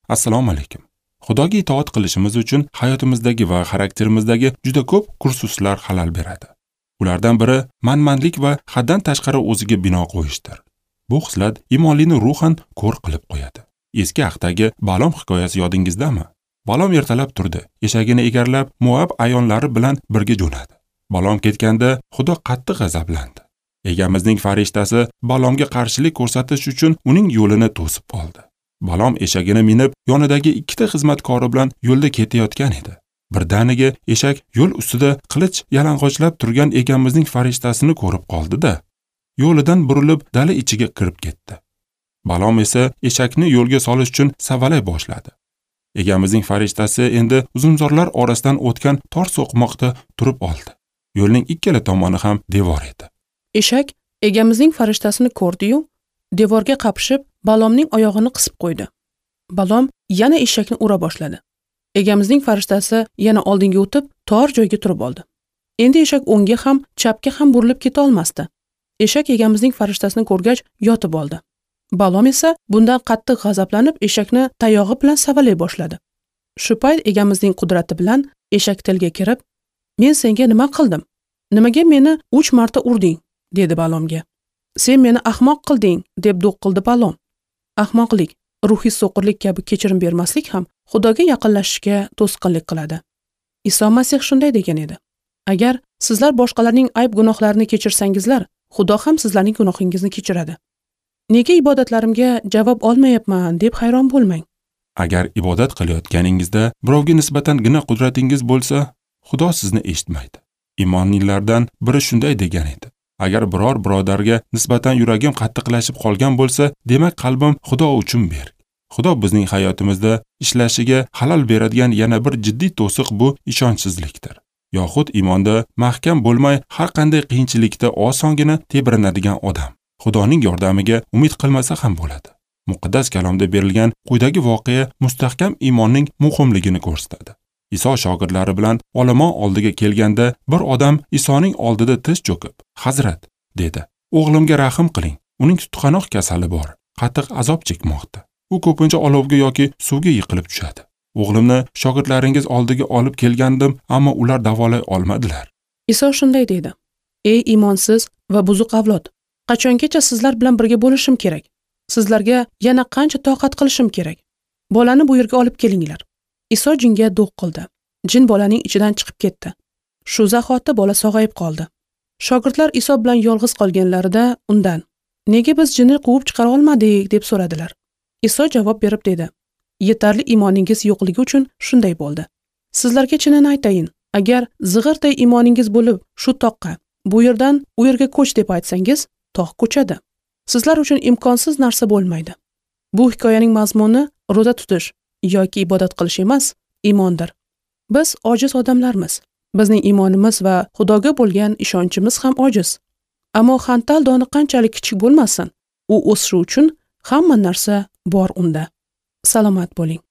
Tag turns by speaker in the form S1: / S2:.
S1: Assalomu alaykum. Xudoga itoat qilishimiz uchun hayotimizdagi va xarakterimizdagi juda ko'p kursuslar xalal beradi. Ulardan biri manmanlik va haddan tashqari o'ziga bino qo'yishdir. Bu xislat imonlini ruhan ko'r qilib qo'yadi. Eski ahdagi Balom hikoyasi yodingizdami? Balom ertalab turdi, eshagini egarlab Moab ayonlari bilan birga jo'nadi. Balom ketganda Xudo qattiq g'azablandi. Egamizning farishtasi Balomga qarshilik ko'rsatish uchun uning yo'lini to'sib oldi. Balom eshagini minib, yonidagi ikkita xizmatkori bilan yo'lda ketayotgan edi. Birdaniga eshak yo'l ustida qilich yalang'ochlab turgan egamizning farishtasini ko'rib qoldi-da, yo'lidan burilib dala ichiga kirib ketdi. Balom esa eshakni yo'lga solish uchun savalay boshladi. Egamizning farishtasi endi uzumzorlar orasidan o'tgan tor so'qmoqda turib oldi. Yo'lning ikkala tomoni ham devor edi.
S2: Eshak egamizning farishtasini ko'rdi-yu, devorga qapishib, Balomning oyog'ini qisib qo'ydi. Balom yana eshakni ura boshladi. Egamizning farishtasi yana oldinga o'tib, tor joyga turib oldi. Endi eshak o'ngga ham, chapga ham burilib keta olmasdi. Eshak egamizning farishtasini ko'rgach, yotib oldi. Balom esa bundan qattiq g'azablanib, eshakni tayog'i bilan savalay boshladi. Shu payt egamizning qudrati bilan eshak tilga kirib, "Men senga nima qildim? Nimaga meni 3 marta urding?" dedi Balomga. "Sen meni ahmoq qilding", deb do'q qildi Balom. Ahmoqlik, ruhiy so'qirlik kabi kechirim bermaslik ham Xudoga yaqinlashishga to'sqinlik qiladi. Iso Masih shunday degan edi: "Agar sizlar boshqalarning ayb gunohlarini kechirsangizlar, Xudo ham sizlarning gunohingizni kechiradi." Nega ibodatlarimga javob olmayapman deb hayron bo'lmang.
S1: Agar ibodat qilayotganingizda birovga nisbatan gina qudratingiz bo'lsa, Xudo sizni eshitmaydi. Imonlilardan biri shunday degan edi: agar biror birodarga nisbatan yuragim qattiqlashib qolgan bo'lsa, demak qalbim Xudo uchun berk. Xudo bizning hayotimizda ishlashiga xalal beradigan yana bir jiddiy to'siq bu ishonchsizlikdir. Yoxud iymonda mahkam bo'lmay har qanday qiyinchilikda osongina tebranadigan odam Xudoning yordamiga umid qilmasa ham bo'ladi. Muqaddas kalomda berilgan quyidagi voqea mustahkam iymonning muhimligini ko'rsatadi. Iso shogirdlari bilan olomon oldiga kelganda bir odam Isoning oldida tiz cho'kib, "Hazrat", dedi. "O'g'limga rahim qiling. Uning tutqanoq kasali bor, qattiq azob chekmoqda. U ko'pincha olovga yoki suvga yiqilib tushadi. O'g'limni shogirdlaringiz oldiga olib kelgandim, ammo ular davolay olmadilar."
S2: Iso shunday dedi: "Ey iymonsiz va buzuq avlod, qachongacha sizlar bilan birga bo'lishim kerak? Sizlarga yana qancha toqat qilishim kerak? Bolani bu yerga olib kelinglar." Iso jinga do'q qildi. Jin bolaning ichidan chiqib ketdi. Shu zahoti bola sog'ayib qoldi. Shogirdlar Iso bilan yolg'iz qolganlarida undan: "Nega biz jinni quvib chiqara olmadik?" deb so'radilar. Iso javob berib dedi: "Yetarli iymoningiz yo'qligi uchun shunday bo'ldi. Sizlarga chinini aytayin, agar zig'irday iymoningiz bo'lib, shu toqqa, bu yerdan u yerga ko'ch deb aytsangiz, tog' ko'chadi. Sizlar uchun imkonsiz narsa bo'lmaydi." Bu hikoyaning mazmuni ro'za tutish yoki ibodat qilish emas, iymondir. Biz ojiz odamlarmiz. Bizning iymonimiz va Xudoga bo'lgan ishonchimiz ham ojiz. Ammo xantal doni qanchalik kichik bo'lmasin, u o'sishi uchun hamma narsa bor unda. Salomat bo'ling.